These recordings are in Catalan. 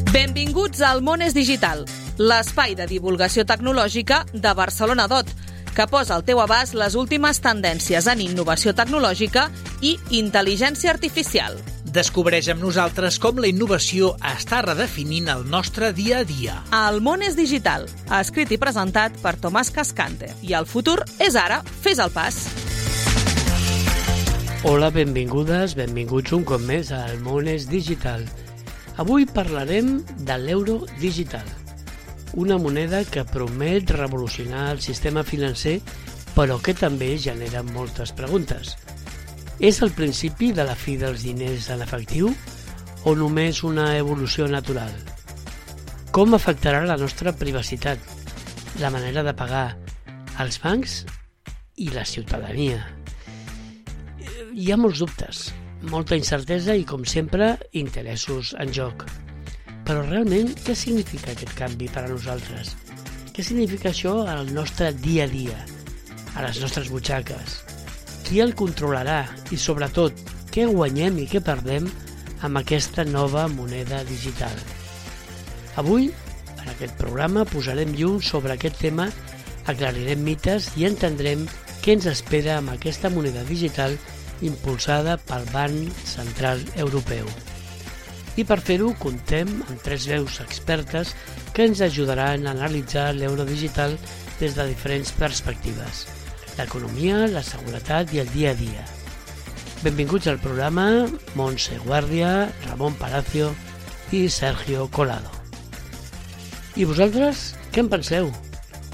Benvinguts al Món és Digital, l'espai de divulgació tecnològica de Barcelona DOT, que posa al teu abast les últimes tendències en innovació tecnològica i intel·ligència artificial. Descobreix amb nosaltres com la innovació està redefinint el nostre dia a dia. El Món és Digital, escrit i presentat per Tomàs Cascante. I el futur és ara, fes el pas. Hola, benvingudes, benvinguts un cop més al Món és Digital. Avui parlarem de l'euro digital, una moneda que promet revolucionar el sistema financer, però que també genera moltes preguntes. És el principi de la fi dels diners en efectiu o només una evolució natural? Com afectarà la nostra privacitat, la manera de pagar, els bancs i la ciutadania? Hi ha molts dubtes, molta incertesa i, com sempre, interessos en joc. Però realment, què significa aquest canvi per a nosaltres? Què significa això al nostre dia a dia, a les nostres butxaques? Qui el controlarà i, sobretot, què guanyem i què perdem amb aquesta nova moneda digital? Avui, en aquest programa, posarem llum sobre aquest tema, aclarirem mites i entendrem què ens espera amb aquesta moneda digital impulsada pel Banc Central Europeu. I per fer-ho comptem amb tres veus expertes que ens ajudaran a analitzar l'euro digital des de diferents perspectives: l'economia, la seguretat i el dia a dia. Benvinguts al programa Montse Guàrdia, Ramon Palacio i Sergio Colado. I vosaltres, què en penseu?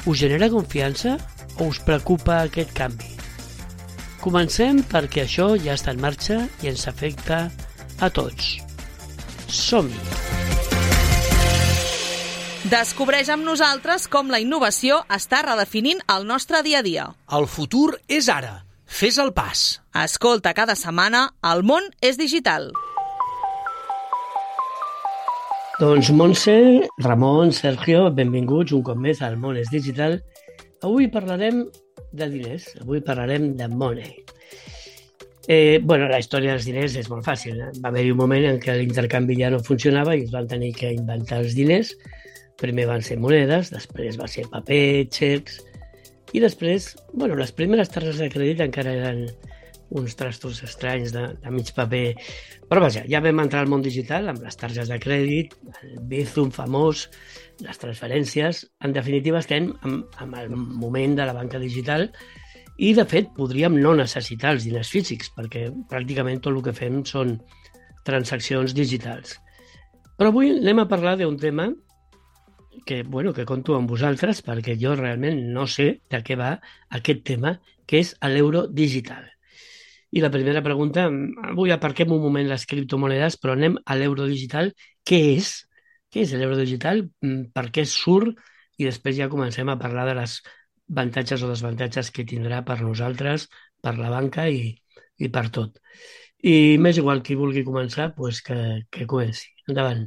Us genera confiança o us preocupa aquest canvi? Comencem perquè això ja està en marxa i ens afecta a tots. Som-hi! Descobreix amb nosaltres com la innovació està redefinint el nostre dia a dia. El futur és ara. Fes el pas. Escolta cada setmana El Món és Digital. Doncs Montse, Ramon, Sergio, benvinguts un cop més al Món és Digital. Avui parlarem de diners, avui parlarem de money. La història dels diners és molt fàcil. Va haver-hi un moment en què l'intercanvi ja no funcionava i es van tenir que inventar els diners. Primer van ser monedes, després va ser paper, xecs, i després, les primeres targetes de crèdit encara eren uns trastos estranys de mig paper. Però vaja, ja vam entrar al món digital amb les targetes de crèdit, el Bizum famós, les transferències. En definitiva, estem en el moment de la banca digital i, de fet, podríem no necessitar els diners físics perquè pràcticament tot el que fem són transaccions digitals. Però avui anem a parlar d'un tema que compto amb vosaltres perquè jo realment no sé de què va aquest tema, que és l'euro digital. I la primera pregunta, avui aparquem un moment les criptomonedes, però anem a l'euro digital. Què és? Què és l'euro digital? Per què surt? I després ja comencem a parlar de les avantatges o desavantatges que tindrà per nosaltres, per la banca i per tot. I m'és igual qui vulgui començar, que comenci. Endavant.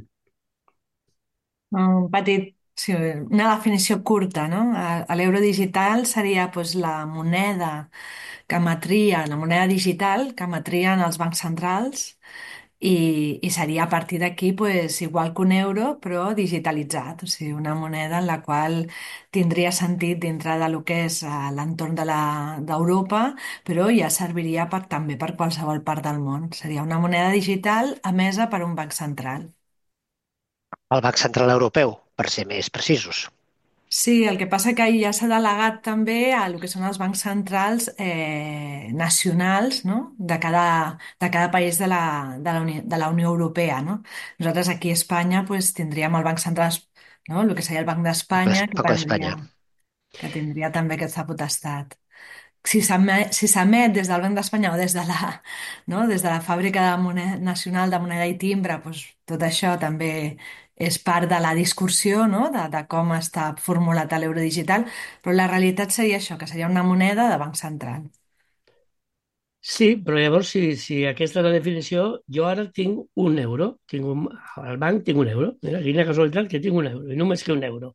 Una definició curta, no? L'euro digital seria la moneda la moneda digital que emetrien els bancs centrals i seria a partir d'aquí igual que un euro però digitalitzat, o sigui, una moneda en la qual tindria sentit dintre de lo que és l'entorn d'Europa, però ja serviria també per qualsevol part del món. Seria una moneda digital emesa per un banc central. El Banc Central Europeu, per ser més precisos. Sí, el que passa que ja s'ha delegat també a el que són els bancs centrals nacionals, no? de cada país de la Unió Europea. No? Nosaltres aquí a Espanya tindríem el Banc Central, no? El que seria el Banc d'Espanya, que tindria també aquesta potestat. Si s'emet des del Banc d'Espanya o des de la Fàbrica Nacional de Moneda i Timbre, tot això també és part de la discussió, no? de com està formulat l'euro digital, però la realitat seria això, que seria una moneda de banc central. Sí, però llavors, si aquesta és la definició, jo ara tinc un euro, al banc tinc un euro. Mira, quina casualitat que tinc un euro, i només que un euro.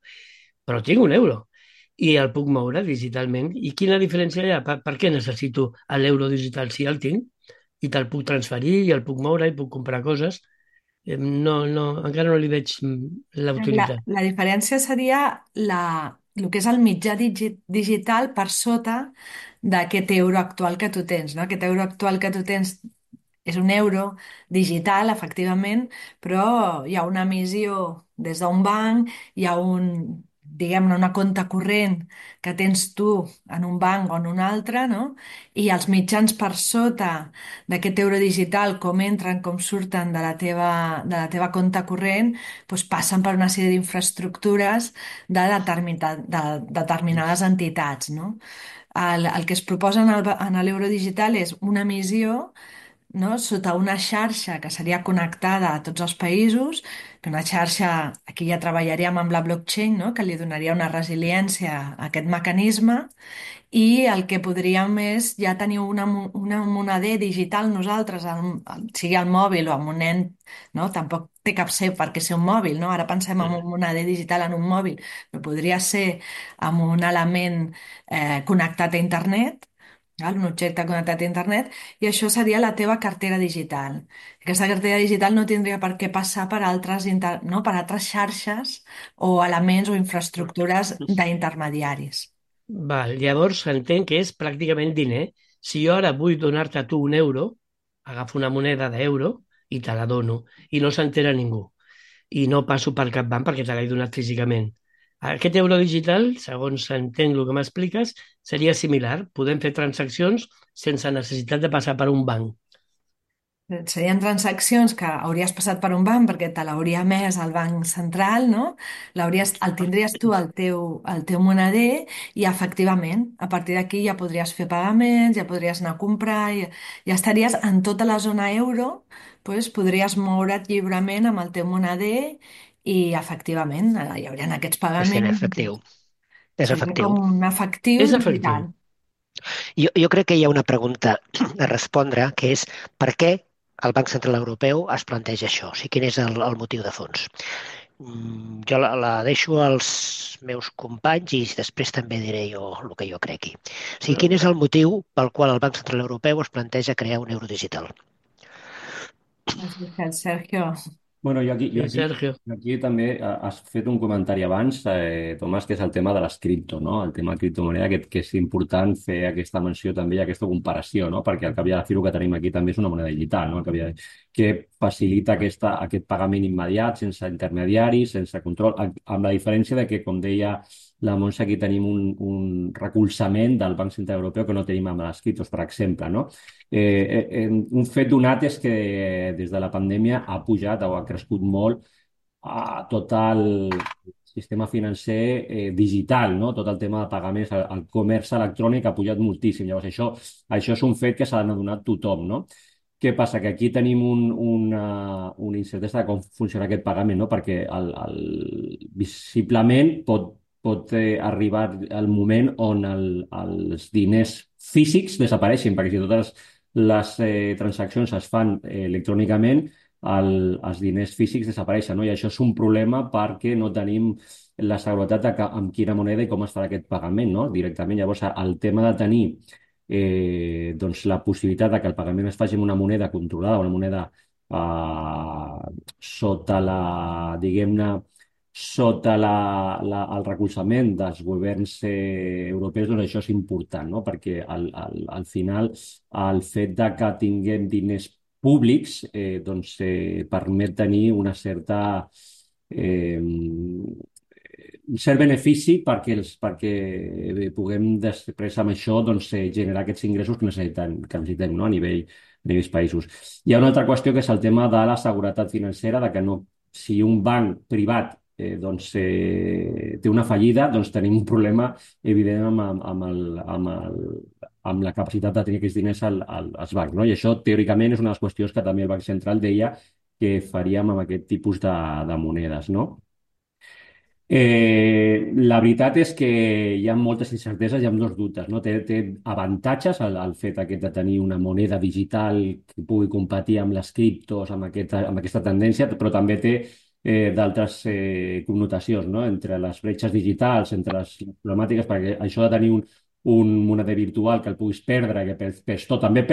Però tinc un euro i el puc moure digitalment. I quina diferència hi ha? Per què necessito l'euro digital si el tinc i te'l puc transferir i el puc moure i puc comprar coses? No, no, encara no li veig la utilitat. La diferència seria el que és el mitjà digital per sota d'aquest euro actual que tu tens, no? Aquest euro actual que tu tens és un euro digital, efectivament, però hi ha una emissió des d'un banc, hi ha diguem-ne, una compte corrent que tens tu en un banc o en un altre, no? I els mitjans per sota d'aquest euro digital, com entren, com surten de la teva compte corrent, doncs passen per una sèrie d'infraestructures de determinades entitats, no? El que es proposa en l'euro digital és una emissió, no? Sota una xarxa que seria connectada a tots els països, que una xarxa, aquí ja treballaríem amb la blockchain, no? Que li donaria una resiliència a aquest mecanisme, i el que podríem és ja tenir una moneder digital nosaltres, sigui al mòbil o amb un nen, no? Tampoc té cap ser perquè ser un mòbil, no? Ara pensem en un moneder digital en un mòbil, però podria ser amb un element connectat a internet, val? Un objecte connectat a internet, i això seria la teva cartera digital. Aquesta cartera digital no tindria per què passar per no? Per altres xarxes o elements o infraestructures d'intermediaris. Val, llavors entenc que és pràcticament diner. Si jo ara vull donar-te a tu un euro, agafo una moneda d'euro i te la dono i no s'entera ningú. I no passo per cap banc perquè te l'he donat físicament. Aquest euro digital, segons entenc el que m'expliques, seria similar. Podem fer transaccions sense necessitat de passar per un banc. Serien transaccions que hauries passat per un banc perquè te l'hauria emès el banc central, no? El tindries tu al teu moneder, i efectivament, a partir d'aquí ja podries fer pagaments, ja podries anar a comprar, ja estaries en tota la zona euro, doncs podries moure't lliurement amb el teu moneder i efectivament hi haurien aquests És en pagaments. efectiu. És Seria efectiu. com un efectiu És efectiu. digital. Jo crec que hi ha una pregunta a respondre, que és per què el Banc Central Europeu es planteja això? O sigui, quin és el motiu de fons? Jo la deixo als meus companys i després també diré jo el que jo cregui. O sigui, quin és el motiu pel qual el Banc Central Europeu es planteja crear un euro digital? Així que, Sergio, Bueno, Sí, Sergio. aquí també has fet un comentari abans, Tomàs, que és el tema de les cripto, no? El tema de criptomoneda, que és important fer aquesta menció també i aquesta comparació, no? Perquè al cap i a la fi el que tenim aquí també és una moneda digital, no? Que facilita aquest pagament immediat, sense intermediaris, sense control, amb la diferència de que, com deia la Montse, aquí tenim un recolzament del Banc Central Europeu que no tenim amb les criptos, per exemple, no? Un fet donat és que des de la pandèmia ha pujat o ha crescut molt tot el sistema financer digital, no? Tot el tema de pagaments, el comerç electrònic ha pujat moltíssim. Llavors, això és un fet que s'ha d'adonat tothom, no? Què passa? Que aquí tenim una incertesa de com funciona aquest pagament, no? Perquè visiblement pot arribar el moment on els diners físics desapareixin, perquè si totes les transaccions es fan electrònicament, els diners físics desapareixen, no? I això és un problema perquè no tenim la seguretat amb quina moneda i com es farà aquest pagament, no? Directament. Llavors, el tema de tenir doncs la possibilitat de que el pagament es faci amb una moneda controlada, una moneda sota diguem-ne, sota el recolzament dels governs europeus, doncs això és important, no? Perquè al final el fet de que tinguem diners públics doncs, permet tenir una certa un cert benefici perquè puguem després amb això doncs, generar aquests ingressos que necessitem, no? A nivells països. Hi ha una altra qüestió que és el tema de la seguretat financera, de que no, si un banc privat té una fallida, doncs tenim un problema evident amb la capacitat de tenir aquests diners als bancs, no? I això, teòricament, és una de les qüestions que també el Banc Central deia que faríem amb aquest tipus de monedes, no? La veritat és que hi ha moltes incerteses, hi ha molts dubtes, no? Té avantatges el fet aquest de tenir una moneda digital que pugui competir amb les criptos, amb aquesta tendència, però també té d'altres connotacions, no? Entre les bretxes digitals, entre les problemàtiques, perquè això de tenir un moneder virtual que el puguis perdre, que perds tot. També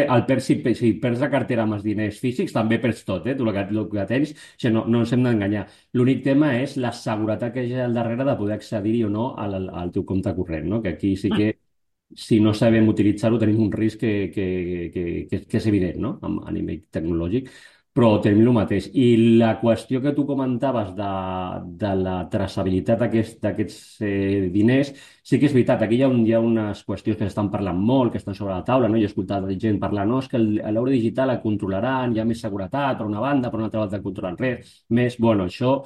si perds la cartera amb els diners físics, també perds tot, tu el que tens, o sigui, no ens hem d'enganyar. L'únic tema és la seguretat que hi ha al darrere de poder accedir-hi o no al teu compte corrent, no? Que aquí sí que si no sabem utilitzar-ho tenim un risc que és evident, no? A nivell tecnològic, però tenim el mateix. I la qüestió que tu comentaves de la traçabilitat d'aquests diners, sí que és veritat, aquí hi ha unes qüestions que s'estan parlant molt, que estan sobre la taula, no? Jo he escoltat gent parlar, no, és que l'euro digital el controlaran, hi ha més seguretat per una banda, per una altra banda no controlen res, més, bueno, això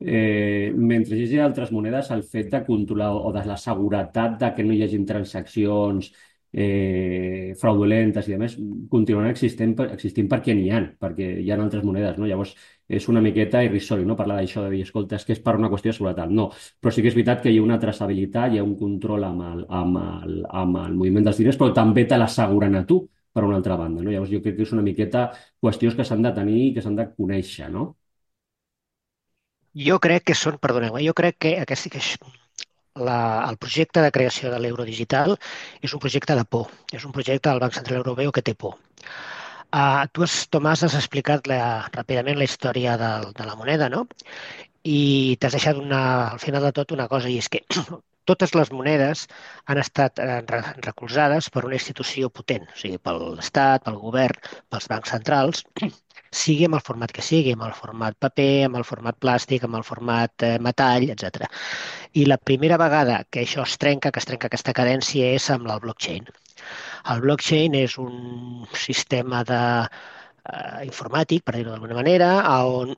mentre hi hagi altres monedes, el fet de controlar o de la seguretat de que no hi hagin transaccions fraudulentes i demés continuaran existint perquè n'hi ha, perquè hi ha altres monedes, no? Llavors és una miqueta irrisori, no? Parlar d'això de dir, escolta, és que és per una qüestió de seguretat. No, però sí que és veritat que hi ha una traçabilitat, hi ha un control amb el moviment dels diners, però també te l'asseguren a tu per una altra banda, no? Llavors jo crec que és una miqueta qüestions que s'han de tenir i que s'han de conèixer, no? Jo crec que són, perdoneu, jo crec que el projecte de creació de l'euro digital és un projecte de por, és un projecte del Banc Central Europeu que té por. Tomàs, has explicat ràpidament la història de la moneda, no? I t'has deixat al final de tot una cosa, i és que totes les monedes han estat recolzades per una institució potent, o sigui, per l'Estat, pel govern, pels bancs centrals, sigui amb el format que sigui, amb el format paper, amb el format plàstic, amb el format metall, etc. I la primera vegada que això que es trenca aquesta cadència, és amb el blockchain. El blockchain és un sistema informàtic, per dir-ho d'alguna manera, on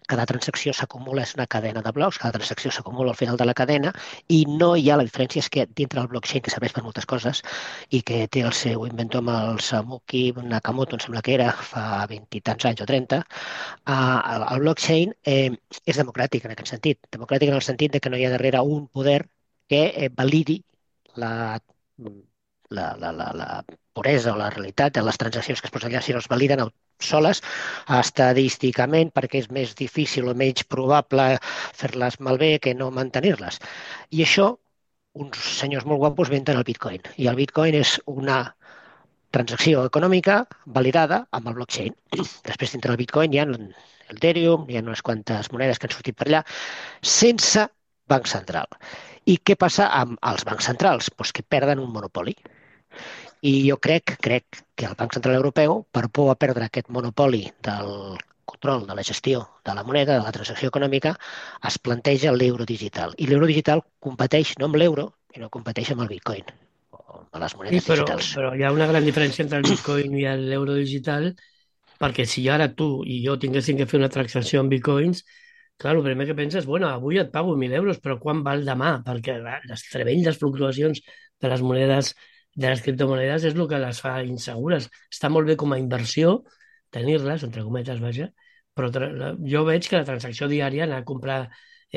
cada transacció s'acumula, és una cadena de blocs, cada transacció s'acumula al final de la cadena i no hi ha, la diferència és que dintre del blockchain, que serveix per moltes coses i que té el seu inventor amb el Samuki Nakamoto, em sembla que era, fa 20 i tants anys o 30, el blockchain és democràtic en aquest sentit. Democràtic en el sentit de que no hi ha darrere un poder que validi la puresa o la realitat de les transaccions que es posen allà, si no es validen soles estadísticament, perquè és més difícil o menys probable fer-les malbé que no mantenir-les. I això, uns senyors molt guapos inventen el Bitcoin. I el Bitcoin és una transacció econòmica validada amb el blockchain. Després, dintre del Bitcoin, hi ha l'Ethereum, hi ha unes quantes monedes que han sortit per allà, sense banc central. I què passa amb els bancs centrals? Pues que perden un monopoli. I jo crec que el Banc Central Europeu, per por a perdre aquest monopoli del control de la gestió de la moneda, de la transacció econòmica, es planteja l'euro digital. I l'euro digital competeix no amb l'euro, sinó competeix amb el Bitcoin, o amb les monedes digitals. Però hi ha una gran diferència entre el Bitcoin i l'euro digital, perquè si ara tu i jo tinguéssim que fer una transacció en Bitcoins, clar, el primer que penses, bueno, avui et pago 1.000 euros, però quan val demà? Perquè les tremendes fluctuacions de les monedes, de les criptomonedes, és el que les fa insegures. Està molt bé com a inversió tenir-les, entre cometes, vaja, però jo veig que la transacció diària, anar a comprar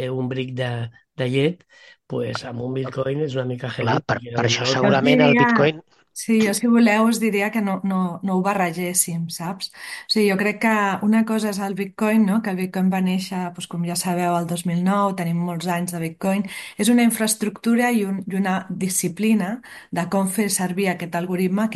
un bric de llet, pues, amb un bitcoin és una mica heavy. Clar, per això segurament el bitcoin... Sí, jo si voleu us diria que no ho barregéssim, saps? O sigui, jo crec que una cosa és el Bitcoin, no? Que el Bitcoin va néixer, doncs, com ja sabeu, el 2009, tenim molts anys de Bitcoin. És una infraestructura i una disciplina de com fer servir aquest algoritme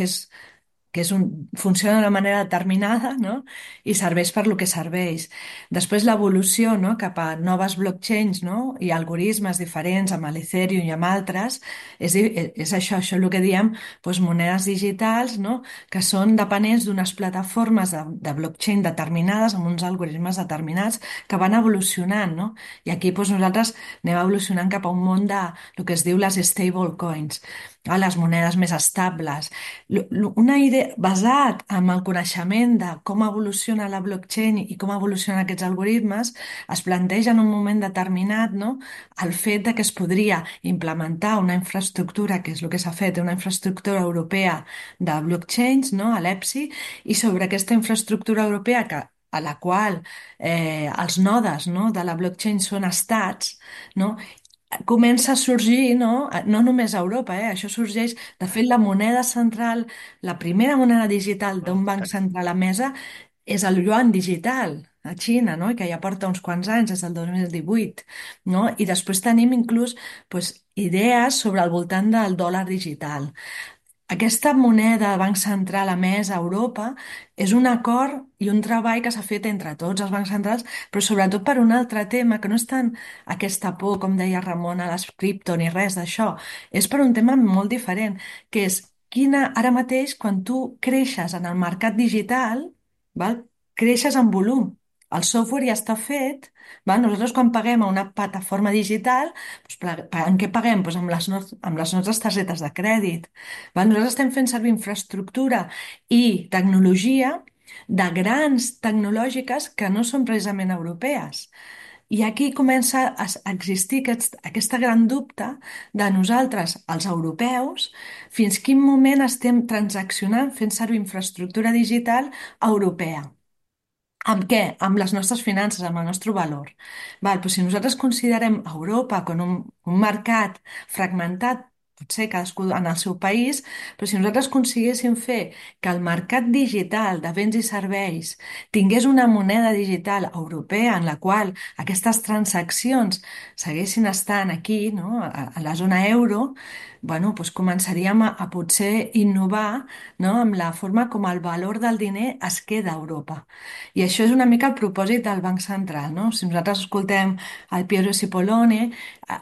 funciona d'una manera determinada, no? I serveix per lo que serveix. Després l'evolució, no? Cap a noves blockchains, no? I algoritmes diferents amb l'Ethereum i amb altres, és això el que diem doncs, monedes digitals, no? Que són dependents d'unes plataformes de blockchain determinades amb uns algoritmes determinats que van evolucionant, no? I aquí doncs, nosaltres anem evolucionant cap a un món de el que es diu les stable coins, les monedes més estables. Una idea basat en el coneixement de com evoluciona la blockchain i com evolucionen aquests algoritmes, es planteja en un moment determinat, no, el fet de que es podria implementar una infraestructura, que és el que s'ha fet, una infraestructura europea de blockchains, no, a l'EPSI, i sobre aquesta infraestructura europea a la qual els nodes, no, de la blockchain són estats, no, comença a sorgir, no? No només a Europa, això sorgeix, de fet, la moneda central, la primera moneda digital d'un banc central emesa és el yuan digital a Xina, no? I que ja porta uns quants anys, des del 2018, no? I després tenim inclús doncs, idees sobre el voltant del dòlar digital. Aquesta moneda del Banc Central emesa a Europa és un acord i un treball que s'ha fet entre tots els bancs centrals, però sobretot per un altre tema, que no és tant aquesta por, com deia Ramon, a les cripto ni res d'això, és per un tema molt diferent, que és ara mateix, quan tu creixes en el mercat digital, val? Creixes en volum. El software ja està fet, val? Nosaltres quan paguem a una plataforma digital, doncs, en què paguem? Doncs amb les nostres targetes de crèdit. Val? Nosaltres estem fent servir infraestructura i tecnologia de grans tecnològiques que no són precisament europees. I aquí comença a existir aquesta gran dubte de nosaltres, els europeus, fins quin moment estem transaccionant fent servir infraestructura digital europea. Amb què? Amb les nostres finances, amb el nostre valor. Doncs si nosaltres considerem Europa com un mercat fragmentat, potser cadascú en el seu país, però si nosaltres aconseguíssim fer que el mercat digital de béns i serveis tingués una moneda digital europea en la qual aquestes transaccions seguessin estant aquí, no? A la zona euro, bueno, doncs començaríem a potser innovar, no? Amb la forma com el valor del diner es queda a Europa. I això és una mica el propòsit del Banc Central, no? Si nosaltres escoltem el Piero Cipollone,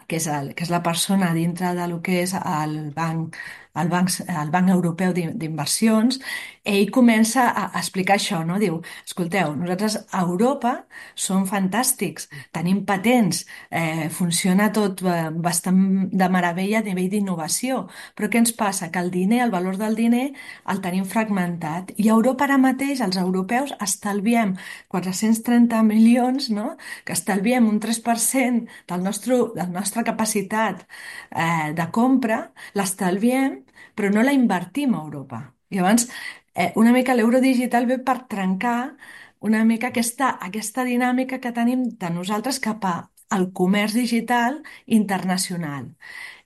que és la persona dintre de lo que és el Banc Europeu d'Inversions, ell comença a explicar això, no? Diu, escolteu, nosaltres a Europa som fantàstics, tenim patents, funciona tot bastant de meravella a nivell d'innovació, però què ens passa? Que el diner, el valor del diner, el tenim fragmentat. I a Europa ara mateix, els europeus, estalviem 430 milions, no? Que estalviem un 3% de la nostra capacitat de compra, l'estalviem, però no la invertim a Europa. I llavors, una mica l'euro digital ve per trencar una mica aquesta dinàmica que tenim de nosaltres cap al comerç digital internacional.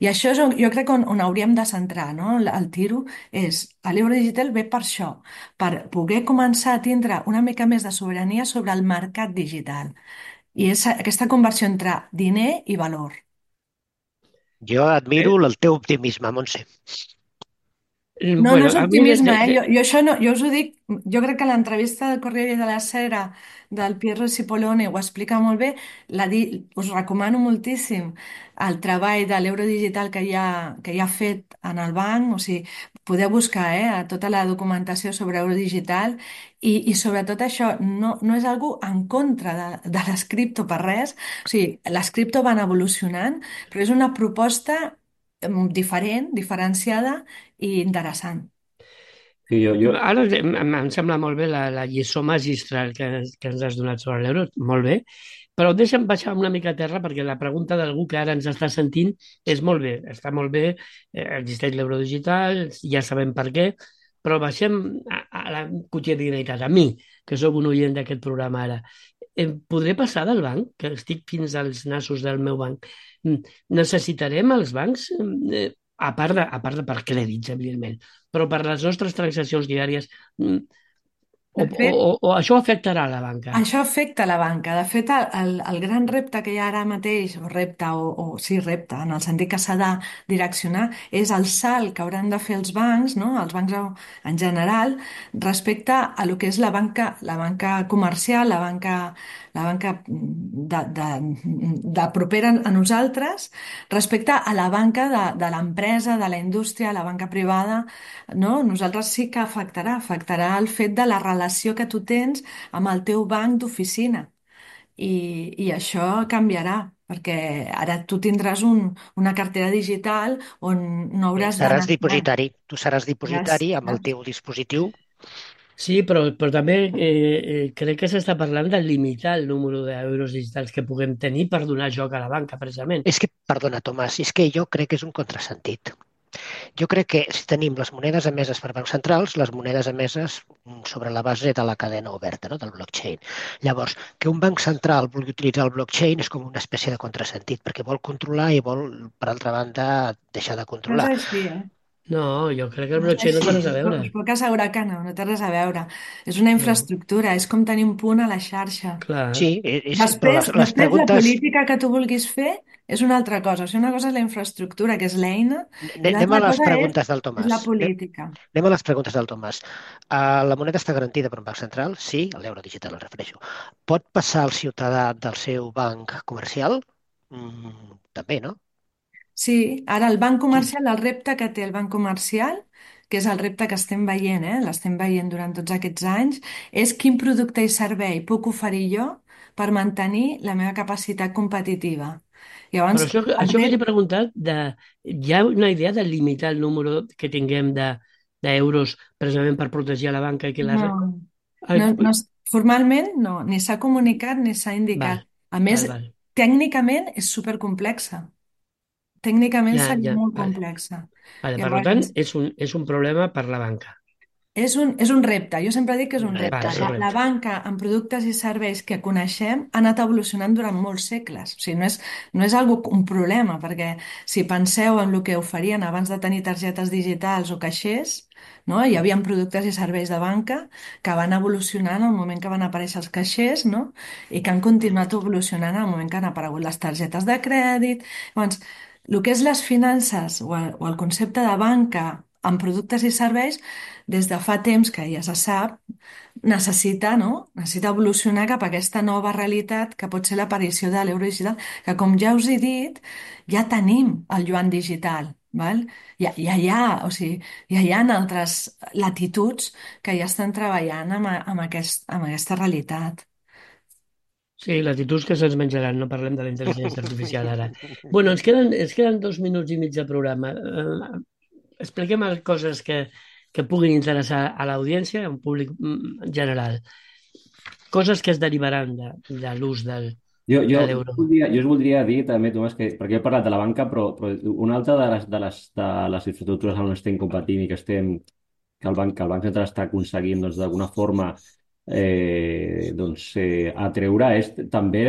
I això és jo crec on hauríem de centrar, no? El tiro és, l'euro digital ve per això, per poder començar a tindre una mica més de sobirania sobre el mercat digital. I és aquesta conversió entre diner i valor. Jo admiro el teu optimisme, Montse. No, no Bueno, és a mi optimisme, eh? Jo això no, jo us ho dic, jo crec que l'entrevista del Corriere della Sera del Piero Cipollone ho explica molt bé, us recomano moltíssim el treball de l'euro digital que hi ha fet en el banc, o sigui, podeu buscar tota la documentació sobre euro digital i sobretot això, no és algú en contra de les cripto per res, o sigui, les cripto van evolucionant, però és una proposta diferent, diferenciada i interessant. Sí, Ara em sembla molt bé la lliçó magistral que ens has donat sobre l'euro, molt bé, però deixa'm baixar una mica a terra perquè la pregunta d'algú que ara ens està sentint és molt bé, està molt bé, existeix l'euro digital, ja sabem per què, però baixem a la quotidianitat, a mi, que sóc un oient d'aquest programa ara. Podré passar del banc, que estic fins als nassos del meu banc. Necessitarem els bancs, a part de per crèdits, evidentment, però per les nostres transaccions diàries, De fet, o això afectarà la banca? això afecta la banca. De fet, el gran repte que hi ha ara mateix, o repte, o sí, repte, en el sentit que s'ha de direccionar, és el salt que hauran de fer els bancs, no? Els bancs en general, respecte a lo que és la banca comercial, la banca de propera a nosaltres, respecte a la banca de l'empresa, de la indústria, la banca privada, no? Nosaltres sí que afectarà el fet de la relació que tu tens amb el teu banc d'oficina. I això canviarà, perquè ara tu tindràs una cartera digital on no Bé, hauràs seràs d'anar... dipositari. Tu seràs Seràs, dipositari amb el teu dispositiu. Sí, però també crec que s'està parlant de limitar el número d'euros digitals que puguem tenir per donar joc a la banca, precisament. És que, perdona, Tomàs, és que jo crec que és un contrasentit. Jo crec que si tenim les monedes emeses per bancs centrals, les monedes emeses sobre la base de la cadena oberta, no? Del blockchain. Llavors, que un banc central vulgui utilitzar el blockchain és com una espècie de contrasentit, perquè vol controlar i vol, per altra banda, deixar de no és controlar. així, eh? No, jo crec que el No sé blockchain no si, té res a veure. us puc assegurar que no, no té res a veure. És una No, infraestructura, és com tenir un punt a la xarxa. clar. Sí, però les Després, la preguntes... política que tu vulguis fer és una altra cosa. O sigui, una cosa és la infraestructura, que és l'eina, i Anem a l'altra les cosa preguntes del és Tomàs. la política. Anem a les preguntes del Tomàs. La moneda està garantida per un banc central? Sí, a l'euro digital em refereixo. Pot passar el ciutadà del seu banc comercial? També, no? Sí, ara el banc comercial, el repte que té el banc comercial, que és el repte que estem veient, l'estem veient durant tots aquests anys, és quin producte i servei puc oferir jo per mantenir la meva capacitat competitiva. Però Llavors, el això que t'he repte... preguntat, hi ha una idea de limitar el número que tinguem d'euros precisament per protegir a la banca i que la... No, Ai, no, formalment no, ni s'ha comunicat ni s'ha val, indicat. A més, val. tècnicament és supercomplexa. Tècnicament Ja, seria ja, molt vale. complexa. Vale, per tant, Llavors, és un problema per la banca. és un repte, jo sempre dic que és un repte. Vale, és un La repte. banca amb productes i serveis que coneixem ha anat evolucionant durant molts segles. O sigui, no és un problema, perquè si penseu en el que oferien abans de tenir targetes digitals o caixers, no? Hi havia productes i serveis de banca que van evolucionar en el moment que van aparèixer els caixers, no? I que han continuat evolucionant en el moment que han aparegut les targetes de crèdit. Llavors, el que és les finances o el concepte de banca amb productes i serveis des de fa temps que ja se sap, necessita, no? Necessita evolucionar cap a aquesta nova realitat que pot ser l'aparició de l'euro digital, que com ja us he dit, ja tenim el yuan digital, val? Ja hi ha, o sigui, ja hi ha altres latituds que ja estan treballant amb aquesta realitat. Sí, latituds que se'ns menjaran, no parlem de la intel·ligència artificial ara. Bueno, ens queden 2 minuts i mig de programa. Expliquem coses que puguin interessar a l'audiència, a un públic general. Coses que es derivaran de l'ús de l'euro. Jo us voldria dir també, Tomàs, que, perquè he parlat de la banca, però una altra de les infraestructures on estem competint i que el Banc Central està aconseguint doncs, d'alguna forma atreure és també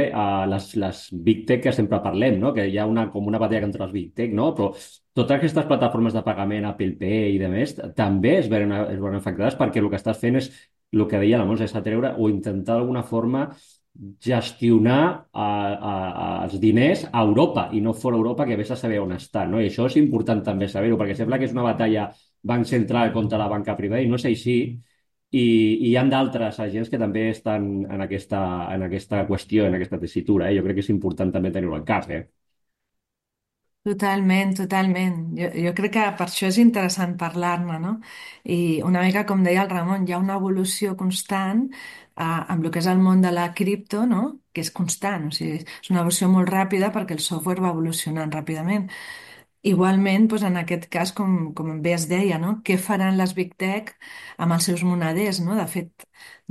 les Big Tech que sempre parlem, no? Que hi ha com una batalla contra les Big Tech, no? Però totes aquestes plataformes de pagament, Apple Pay i de més, també es veuen afectades perquè el que estàs fent és el que deia la Montse, és atreure o intentar d'alguna forma gestionar els diners a Europa i no fora Europa, que vés a saber on estan, no? I això és important també saber-ho, perquè sembla que és una batalla banc central contra la banca privada i no és així. I hi ha d'altres agents que també estan en aquesta qüestió, en aquesta tessitura. Jo crec que és important també tenir-ho al cap. Totalment, totalment. Jo crec que per això és interessant parlar-ne, no? I una mica com deia el Ramon, hi ha una evolució constant amb el que és el món de la cripto, no? Que és constant, o sigui, és una evolució molt ràpida perquè el software va evolucionant ràpidament. Igualment, doncs en aquest cas, com bé es deia, no? Què faran les Big Tech amb els seus moneders, no? De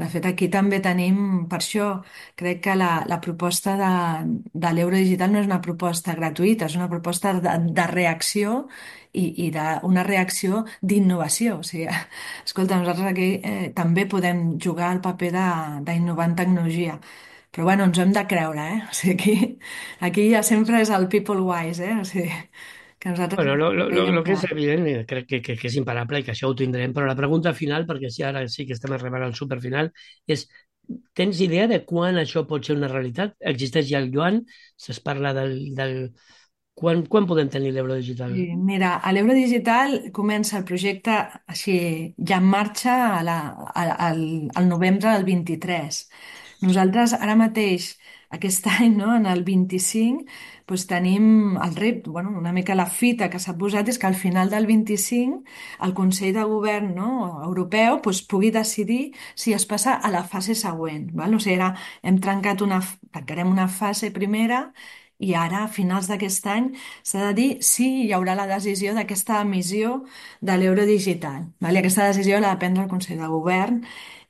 fet, aquí també tenim, per això, crec que la proposta de l'euro digital no és una proposta gratuïta, és una proposta de reacció i d'una reacció d'innovació. O sigui, escolta, nosaltres aquí també podem jugar el paper d'innovar en tecnologia. Però bueno, ens ho hem de creure, eh? O sigui, aquí ja sempre és el people wise, eh? O sigui, que nosaltres Bueno, veiem lo que que... és evident, crec que és imparable i que això ho tindrem, però la pregunta final, perquè si ara sí que estem arribant al superfinal, és, tens idea de quan això pot ser una realitat? Existeix ja el yuan? Es parla quan podem tenir l'euro digital? Sí, mira, a l'Euro Digital comença el projecte així ja en marxa al novembre del 23. Nosaltres ara mateix, aquest any, no, en el 25, doncs tenim el repte, bueno, una mica la fita que s'ha posat és que al final del 25 el Consell de Govern, no, europeu doncs, pugui decidir si es passa a la fase següent. Val? O sigui, ara tancarem una fase primera i ara, a finals d'aquest any, s'ha de dir si hi haurà la decisió d'aquesta emissió de l'euro digital. Vale? Aquesta decisió la de prendre el Consell de Govern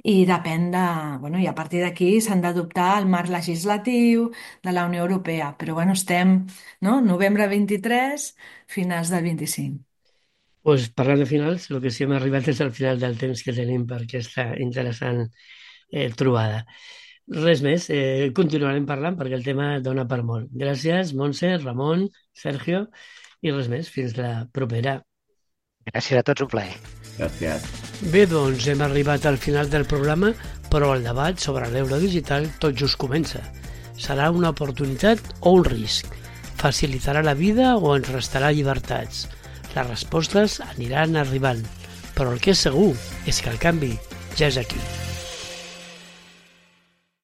i depèn de... Bueno, i a partir d'aquí s'han d'adoptar el marc legislatiu de la Unió Europea. Però bueno, estem, no? Novembre 23, finals del 25. Pues, parlant de finals, el que sí hem arribat és al final del temps que tenim per aquesta interessant trobada. Res més, continuarem parlant perquè el tema dona per molt. Gràcies, Montse, Ramon, Sergio, i res més, fins la propera. Gràcies a tots, un plaer. Gràcies. Bé, doncs hem arribat al final del programa, però el debat sobre l'euro digital tot just comença. Serà una oportunitat o un risc? Facilitarà la vida o ens restarà llibertats? Les respostes aniran arribant, però el que és segur és que el canvi ja és aquí.